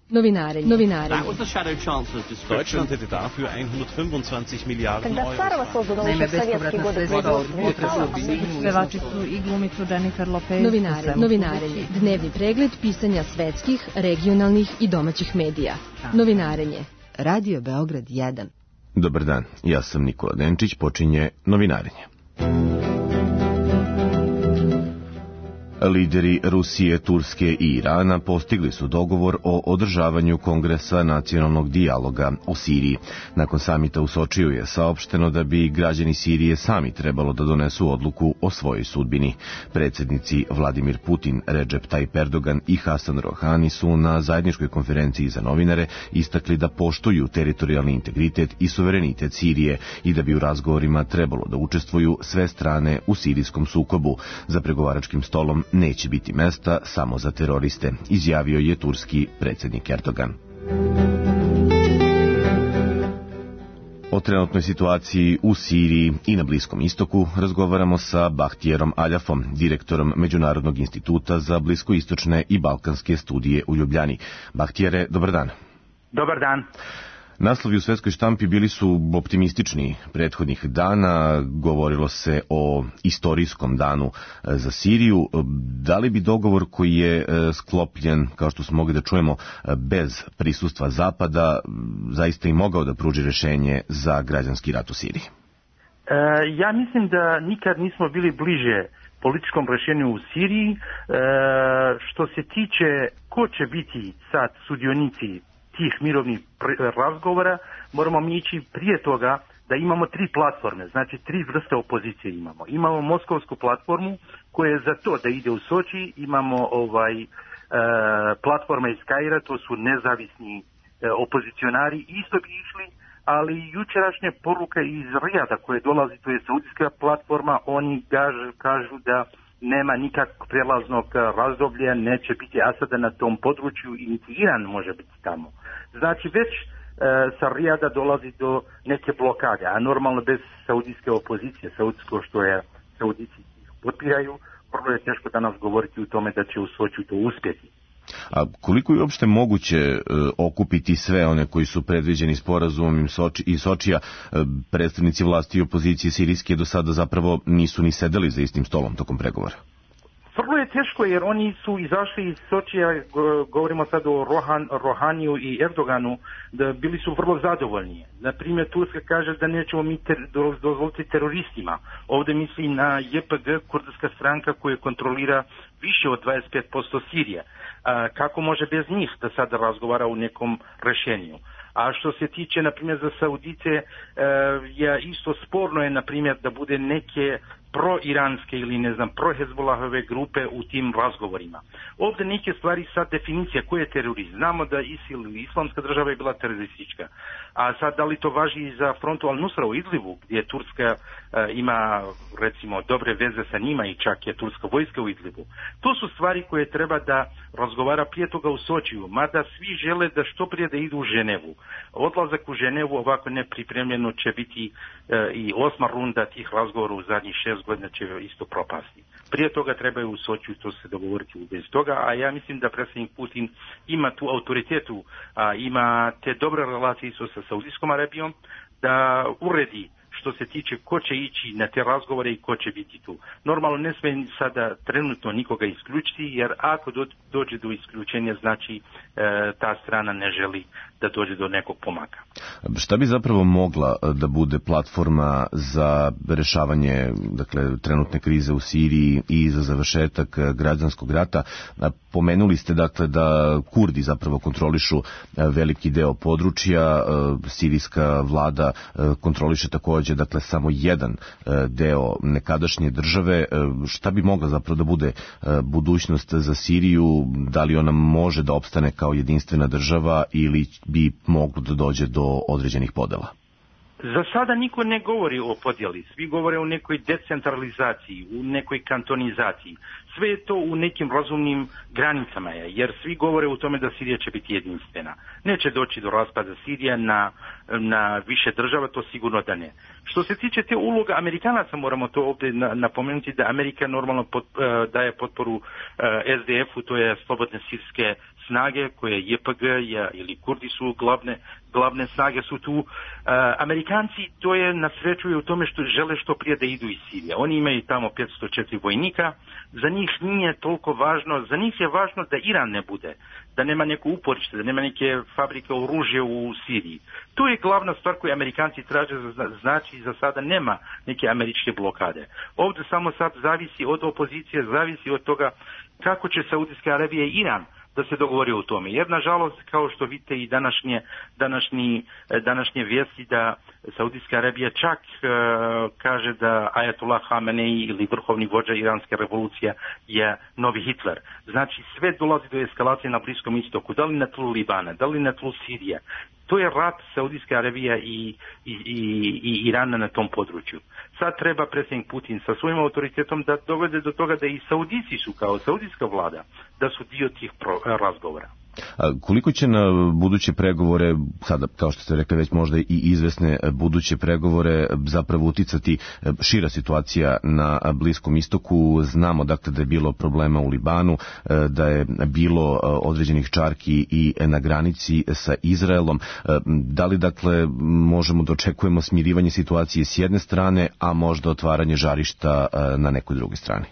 Novinare. Deutschland hätte dafür 125 Milijarden Euro. Naime, bespovratna sredstva upotrebu pevačicu i glumicu Jennifer Lopez. Novinarenje. Dnevni pregled pisanja svetskih, regionalnih i domaćih medija. Novinarenje. Radio Beograd 1. Dobar dan, ja sam Nikola Denčić, počinje Novinarenje. Lideri Rusije, Turske i Irana postigli su dogovor o održavanju Kongresa nacionalnog dijaloga o Siriji. Nakon samita u Sočiju je saopšteno da bi građani Sirije sami trebalo da donesu odluku o svojoj sudbini. Predsjednici Vladimir Putin, Recep Tayyip Erdogan i Hasan Rohani su na zajedničkoj konferenciji za novinare istakli da poštuju teritorijalni integritet i suverenitet Sirije i da bi u razgovorima trebalo da učestvuju sve strane u sirijskom sukobu. Za pregovaračkim stolom neće biti mesta samo za teroriste, izjavio je turski predsjednik Erdogan. O trenutnoj situaciji u Siriji i na Bliskom istoku razgovaramo sa Bahtijerom Aljafom, direktorom Međunarodnog instituta za bliskoistočne i balkanske studije u Ljubljani. Bahtijere, dobar dan. Dobar dan. Naslovi u svetskoj štampi bili su optimistični prethodnih dana, govorilo se o istorijskom danu za Siriju. Da li bi dogovor koji je sklopljen, kao što smo mogli da čujemo, bez prisustva Zapada, zaista i mogao da pruži rešenje za građanski rat u Siriji? Ja mislim da nikad nismo bili bliže političkom rešenju u Siriji. Što se tiče ko će biti sad sudionici tih mirovnih razgovora, moramo mi ići prije toga da imamo tri platforme, znači tri vrste opozicije imamo. Imamo moskovsku platformu koja je za to da ide u Soči, imamo platforma iz Kaira, to su nezavisni opozicionari, isto bi išli, ali jučerašnja poruka iz Rijada koje dolazi, to je saudijska platforma, oni kažu da nema nikakvog prijelaznog razdoblja, neće biti Asada na tom području i niti Iran može biti tamo. Znači već sa Rijada dolazi do neke blokade, a normalno bez saudijske opozicije, saudijsko što je Saudici potpiraju, vrlo je teško danas govoriti o tome da će u Sočiju to uspjeti. A koliko je uopšte moguće okupiti sve one koji su predviđeni sporazumom iz Sočija? Predstavnici vlasti i opozicije sirijske do sada zapravo nisu ni sedeli za istim stolom tokom pregovora. Vrlo je teško jer oni su izašli iz Sočija, govorimo sad o Rohaniju i Erdoganu, da bili su vrlo zadovoljni. Naprimjer, Turska kaže da nećemo mi dozvoliti teroristima. Ovdje misli na JPG, kurdska stranka koja kontrolira više od 25% Sirije. Kako može bez njih da sada razgovara u nekom rešenju? A što se tiče, na primjer, za Saudice, isto sporno je, na primjer, da bude neke pro-iranske ili, ne znam, pro-Hezbollahove grupe u tim razgovorima. Ovdje neke stvari, sad definicija koji je terorizam. Znamo da ISIL ili Islamska država je bila teroristička. A sad da li to važi i za frontu Al-Nusra u Idlibu, gdje Turska ima, recimo, dobre veze sa njima i čak je turska vojska u Idlibu. To su stvari koje treba da razgovara prije toga u Sočiju, mada svi žele da što prije da idu u Ženevu. Odlazak u Ženevu ovako nepripremljeno će biti i 8. runda tih razgovora u zadnjih 6 godina će isto propasti. Prije toga trebaju u Sočiju to se dogovoriti bez toga, a ja mislim da predsjednik Putin ima tu autoritetu, ima te dobre relacije sa Saudijskom Arabijom, da uredi što se tiče ko će ići na te razgovore i ko će biti tu. Normalno ne smije sada trenutno nikoga isključiti, jer ako dođe do isključenja, znači ta strana ne želi da dođe do nekog pomaka. Šta bi zapravo mogla da bude platforma za rešavanje, dakle, trenutne krize u Siriji i za završetak građanskog rata? Pomenuli ste, dakle, da Kurdi zapravo kontrolišu veliki deo područja, sirijska vlada kontroliše takođe, dakle, samo jedan deo nekadašnje države. Šta bi mogla zapravo da bude budućnost za Siriju? Da li ona može da opstane kao jedinstvena država ili bi moglo da dođe do određenih podela? Za sada niko ne govori o podjeli, svi govore o nekoj decentralizaciji, u nekoj kantonizaciji. Sve je to u nekim razumnim granicama, jer svi govore o tome da Sirija će biti jedinstvena. Neće doći do raspada Sirija na više država, to sigurno da ne. Što se tiče te uloga Amerikanaca, moramo to ovdje napomenuti da Amerika normalno daje potporu SDF-u, to je Slobodne sirske snage koje JPG ili Kurdi su glavne snage su tu. Amerikanci, to je na sreću u tome što žele što prije da idu iz Sirije. Oni imaju tamo 504 vojnika, za njih nije toliko važno, za njih je važno da Iran ne bude, da nema neko uporište, da nema neke fabrike oružja u Siriji. To je glavna stvar koju Amerikanci traže, znači za sada nema neke američke blokade. Ovdje samo sad zavisi od opozicije, zavisi od toga kako će Saudijska Arabija i Iran da se dogovori o tome. Jer nažalost, kao što vidite i današnje vijesti da Saudijska Arabija čak kaže da Ajatullah Hamenei ili vrhovni vođa iranske revolucije je novi Hitler. Znači sve dolazi do eskalacije na Bliskom istoku, da li na tlu Libana, da li na tlu Sirije. To je rat Saudijske Arabije i Irana na tom području. Sad treba predsjednik Putin sa svojim autoritetom da dovede do toga da i Saudici su kao saudijska vlada, da su dio tih razgovora. Koliko će na buduće pregovore, sada kao što ste rekli već možda i izvesne buduće pregovore, zapravo uticati šira situacija na Bliskom istoku? Znamo dakle da je bilo problema u Libanu, da je bilo određenih čarki i na granici sa Izraelom. Da li dakle možemo da očekujemo smirivanje situacije s jedne strane, a možda otvaranje žarišta na nekoj drugoj strani?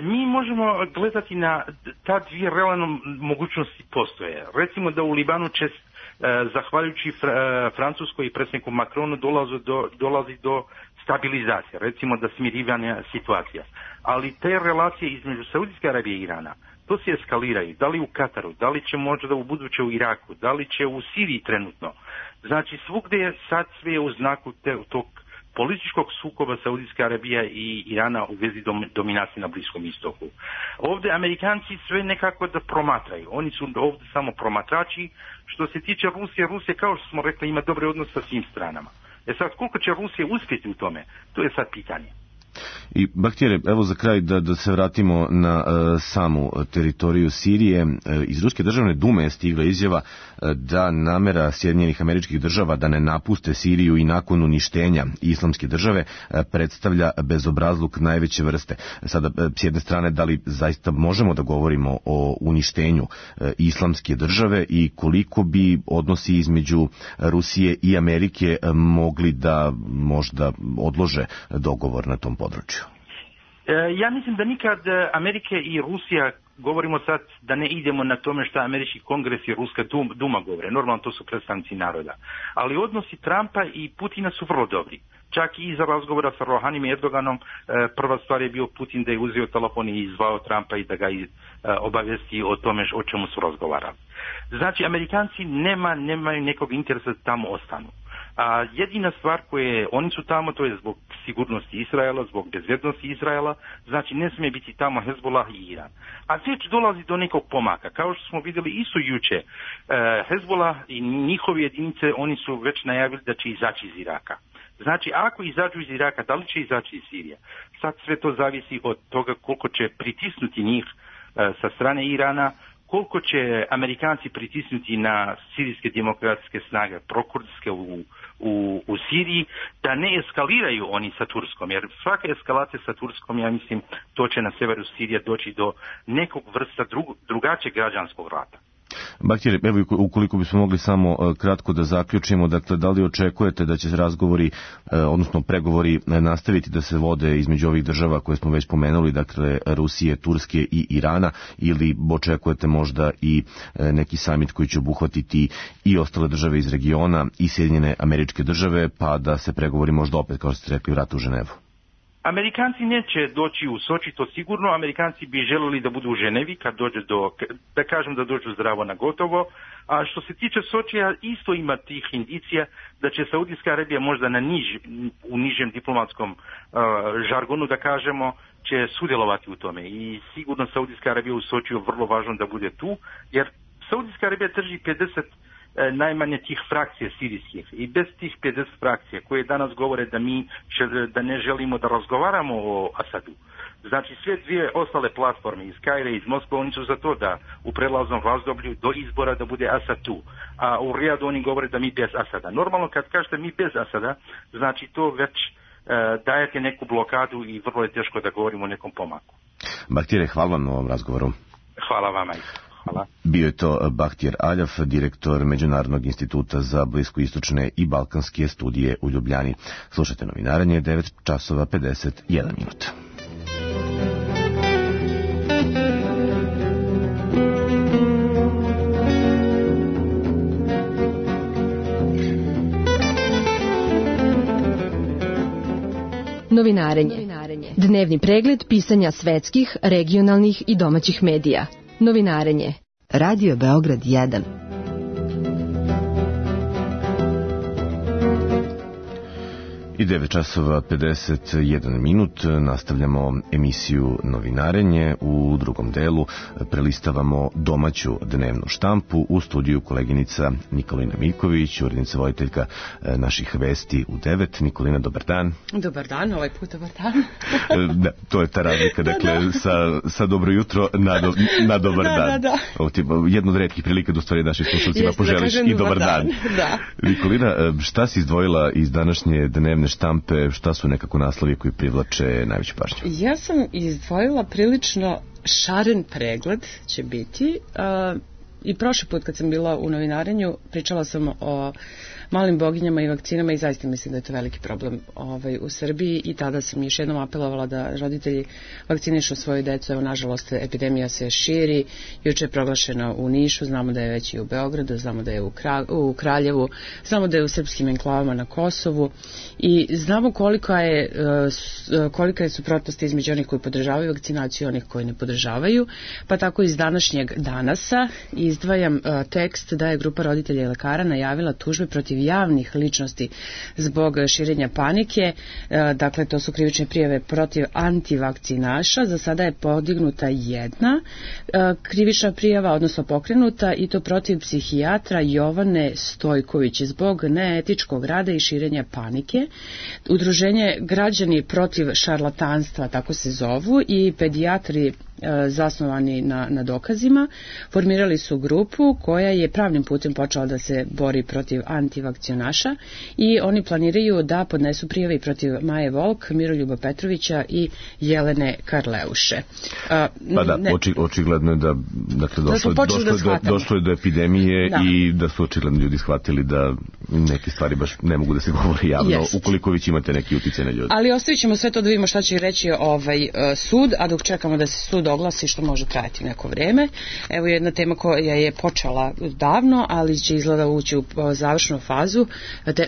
Mi možemo gledati na ta dvije realne mogućnosti postoje. Recimo da u Libanu će, zahvaljujući Francuskoj i predsjedniku Macronu, dolazi do stabilizacije, recimo da smirivanja situacija. Ali te relacije između Saudijske Arabije i Irana, to se eskaliraju. Da li u Kataru, da li će možda u buduće u Iraku, da li će u Siriji trenutno. Znači svugdje je sad sve u znaku tog političkog sukoba Saudijska Arabija i Irana u vezi dominacije na Bliskom istoku. Ovdje Amerikanci sve nekako da promatraju. Oni su ovdje samo promatrači. Što se tiče Rusije kao što smo rekli ima dobre odnose sa svim stranama. Sad koliko će Rusija uspjeti u tome, to je sad pitanje. I Bahtijere, evo za kraj da se vratimo na samu teritoriju Sirije. Iz Ruske državne dume je stigla izjava da namera Sjedinjenih Američkih Država da ne napuste Siriju i nakon uništenja Islamske države predstavlja bezobrazluk najveće vrste. Sada, s jedne strane, da li zaista možemo da govorimo o uništenju Islamske države i koliko bi odnosi između Rusije i Amerike mogli da možda odlože dogovor na tom području? Ja mislim da nikad Amerika i Rusija, govorimo sad da ne idemo na tome što Američki kongres i Ruska duma govore, normalno to su predstavnici naroda, ali odnosi Trumpa i Putina su vrlo dobri. Čak i iza razgovora sa Rohanim i Erdoganom, prva stvar je bio Putin da je uzeo telefon i zvao Trumpa i da ga obavijesti o tome o čemu su razgovarali. Znači Amerikanci nemaju nekog interesa da tamo ostanu. A jedina stvar koje oni su tamo, to je zbog sigurnosti Izraela, zbog bezbjednosti Izraela, znači ne smije biti tamo Hezbollah i Iran. A već dolazi do nekog pomaka. Kao što smo vidjeli isto juče, Hezbollah i njihove jedinice, oni su već najavili da će izaći iz Iraka. Znači, ako izađu iz Iraka, da li će izaći iz Sirije? Sad sve to zavisi od toga koliko će pritisnuti njih sa strane Irana, koliko će Amerikanci pritisnuti na sirijske demokratske snage, prokurdske u Siriji, da ne eskaliraju oni sa Turskom, jer svaka eskalacija sa Turskom, ja mislim, to će na severu Sirije doći do nekog vrsta drugačijeg građanskog rata. Bahtijere, evo ukoliko bismo mogli samo kratko da zaključimo, dakle, da li očekujete da će se razgovori, odnosno pregovori nastaviti da se vode između ovih država koje smo već pomenuli, dakle Rusije, Turske i Irana, ili očekujete možda i neki samit koji će obuhvatiti i ostale države iz regiona i Sjedinjene Američke Države, pa da se pregovori možda opet, kao što ste rekli, vrate u Ženevu? Amerikanci neće doći u Soči, to sigurno. Amerikanci bi želeli da budu u Ženevi kad dođe da kažem da dođu zdravo na gotovo. A što se tiče Sočija, isto ima tih indicija da će Saudijska Arabija možda u nižem diplomatskom žargonu, da kažemo, će sudjelovati u tome. I sigurno Saudijska Arabija u Sočiju vrlo važno da bude tu, jer Saudijska Arabija drži 50 najmanje tih frakcija sirijskih i bez tih 50 frakcija koje danas govore da ne želimo da razgovaramo o Asadu. Znači sve dvije ostale platforme iz Kaira i iz Moskve, oni su za to da u prelaznom razdoblju do izbora da bude Asad tu. A u Rijadu oni govore da mi bez Asada. Normalno kad kažete mi bez Asada, znači to već dajete neku blokadu i vrlo je teško da govorimo o nekom pomaku. Bahtijere, hvala vam na ovom razgovoru. Hvala vama. Hvala. Bio je to Bahtjer Aljaf, direktor Međunarodnog instituta za bliskoistočne i balkanske studije u Ljubljani. Slušajte Novinaranje, 9 časova 51 minuta. Novinarenje. Dnevni pregled pisanja svetskih, regionalnih i domaćih medija. Novinarenje. Radio Beograd 1. I 9 časova 51 minut nastavljamo emisiju Novinarenje. U drugom delu prelistavamo domaću dnevnu štampu. U studiju koleginica Nikolina Miljković, urednica voditeljka naših vesti u 9. Nikolina, dobar dan. Dobar dan, ovaj put dobar dan. Da, to je ta razlika, dakle, sa dobro jutro na dobar dan. Da. Jedna od retkih prilika da u stvari naših slušalcima poželiš i dobar dan. Da. Nikolina, šta si izdvojila iz današnje dnevne štampe, šta su nekako naslovi koji privlače najveću pažnju? Ja sam izdvojila prilično šaren pregled, će biti. I prošli put kad sam bila u Novinarenju pričala sam o malim boginjama i vakcinama i zaista mislim da je to veliki problem u Srbiji i tada sam još jednom apelovala da roditelji vakcinišu svoju decu. Evo, nažalost, epidemija se širi. Juče je proglašena u Nišu, znamo da je već i u Beogradu, znamo da je u Kraljevu, znamo da je u srpskim enklavama na Kosovu i znamo kolika je suprotnost između onih koji podržavaju vakcinaciju i onih koji ne podržavaju. Pa tako iz današnjeg Danasa izdvajam tekst da je grupa roditelja i lekara najavila tužbe protiv javnih ličnosti zbog širenja panike. Dakle, to su krivične prijave protiv antivakcinaša. Za sada je podignuta jedna krivična prijava, odnosno pokrenuta, i to protiv psihijatra Jovane Stojković zbog neetičkog rada i širenja panike. Udruženje Građani protiv šarlatanstva, tako se zovu, i pedijatri zasnovani na dokazima, formirali su grupu koja je pravnim putem počela da se bori protiv antivakcionaša i oni planiraju da podnesu prijave protiv Maje Volk, Miroljuba Petrovića i Jelene Karleuše. Pa da, očigledno je da došlo je do epidemije i da su očigledno ljudi shvatili da neke stvari baš ne mogu da se govori javno, ukoliko već imate neki uticaj na ljudi. Ali ostavit ćemo sve to da vidimo šta će reći sud, a dok čekamo da se sud oglasi, što može trajati neko vreme. Evo jedna tema koja je počela davno, ali će izgleda ući u završnu fazu.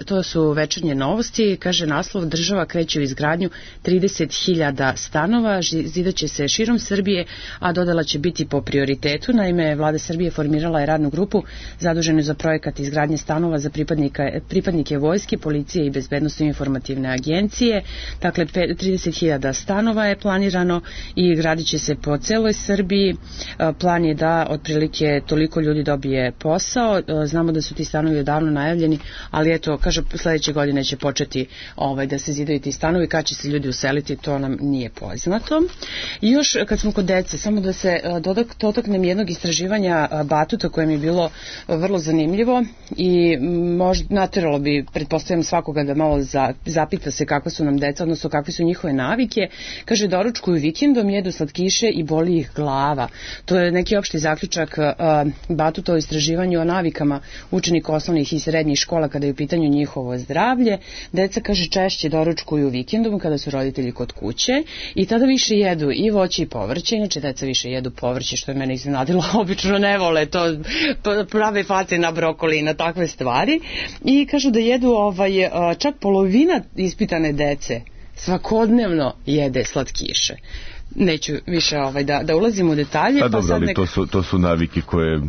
To su Večernje novosti. Kaže naslov: država kreće u izgradnju 30.000 stanova, zidaće se širom Srbije, a dodala će biti po prioritetu. Naime, Vlada Srbije formirala je radnu grupu zaduženu za projekat izgradnje stanova za pripadnike vojske, policije i bezbednosno informativne agencije. Dakle, 30.000 stanova je planirano i gradit će se po celoj Srbiji. Plan je da otprilike toliko ljudi dobije posao. Znamo da su ti stanovi odavno najavljeni, ali eto, kaže, sledeće godine će početi da se zidaju ti stanovi. Kad će se ljudi useliti, to nam nije poznato. I još kad smo kod dece, samo da se dotaknem jednog istraživanja Batuta koje mi je bilo vrlo zanimljivo i možda nateralo bi, pretpostavljam, svakoga da malo zapita se kakva su nam deca, odnosno kakve su njihove navike. Kaže, doručkuju vikendom, jedu slatkiše i boli ih glava. To je neki opšti zaključak Batuta o istraživanju o navikama učenika osnovnih i srednjih škola kada je u pitanju njihovo zdravlje. Deca, kaže, češće doručkuju vikendom kada su roditelji kod kuće i tada više jedu i voće i povrće. Inače, deca više jedu povrće, što je mene iznenadilo. Obično ne vole to, prave face na brokoli i na takve stvari. I kažu da jedu čak polovina ispitane dece svakodnevno jede slatkiše. Neću više da ulazim u detalje. Pa dobro, ali to su navike koje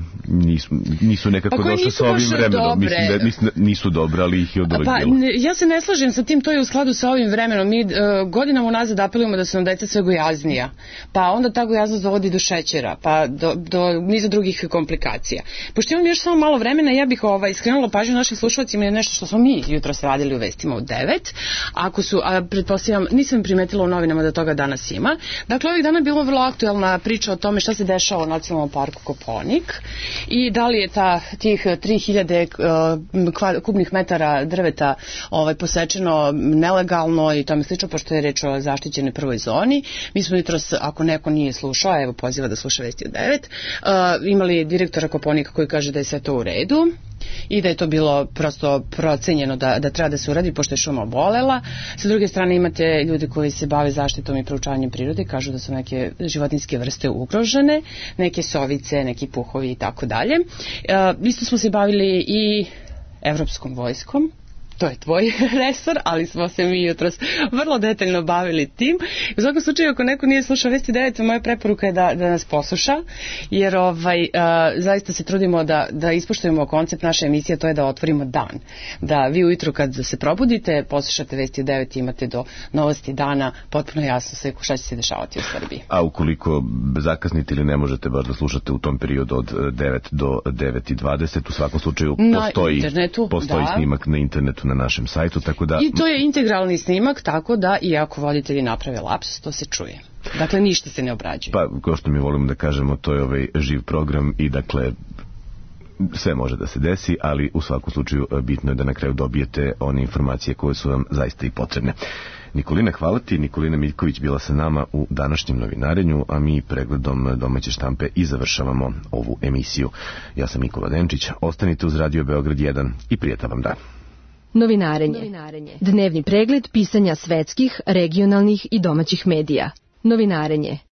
nisu nekako došle sa ovim vremenom. Mislim da nisu dobre, ali ih je od uvek bilo. Ja se ne slažem sa tim, to je u skladu sa ovim vremenom. Mi godinama unazad apelujemo da su nam deca sve gojaznija, pa onda ta gojaznost dovodi do šećera, pa do niza drugih komplikacija. Pošto imam još samo malo vremena, ja bih skrenula pažnju našim slušalcima na nešto što smo mi jutros radili u vestima u 9. Pretpostavljam, nisam primetila u novinama da toga danas ima. Dakle, ovih dana je bila vrlo aktuelna priča o tome šta se dešava u Nacionalnom parku Kopaonik i da li je tih 3000 kubnih metara drveta posečeno nelegalno i tome slično, pošto je reč o zaštićenoj prvoj zoni. Mi smo jutros, ako neko nije slušao, evo poziva da sluša Vesti od 9, imali direktora Kopaonika koji kaže da je sve to u redu i da je to bilo prosto procenjeno da treba da se uradi pošto je šuma obolela. Sa druge strane imate ljudi koji se bave zaštitom i proučavanjem prirode, kažu da su neke životinjske vrste ugrožene, neke sovice, neki puhovi i tako dalje. Isto smo se bavili i evropskom vojskom. To je tvoj resor, ali smo se mi jutros vrlo detaljno bavili tim. U svakom slučaju, ako neko nije slušao Vesti 9, moja preporuka je da nas posluša, jer zaista se trudimo da ispoštujemo koncept naše emisije, to je da otvorimo dan. Da vi ujutru kad se probudite, poslušate Vesti 9 i imate do novosti dana potpuno jasno sve šta će se dešavati u Srbiji. A ukoliko zakasnite ili ne možete baš da slušate u tom periodu od 9 do 9:20, u svakom slučaju postoji snimak na internetu na našem sajtu, tako da... I to je integralni snimak, tako da i ako voditelji naprave lapsus, to se čuje. Dakle, ništa se ne obrađuje. Pa, kao što mi volimo da kažemo, to je živ program i dakle, sve može da se desi, ali u svakom slučaju bitno je da na kraju dobijete one informacije koje su vam zaista i potrebne. Nikolina, hvala ti. Nikolina Miljković bila sa nama u današnjem novinarenju, a mi pregledom domaće štampe i završavamo ovu emisiju. Ja sam Nikola Denčić, ostanite uz Radio Beograd 1 i prijatan vam dan. Novinarenje. Dnevni pregled pisanja svetskih, regionalnih i domaćih medija. Novinarenje.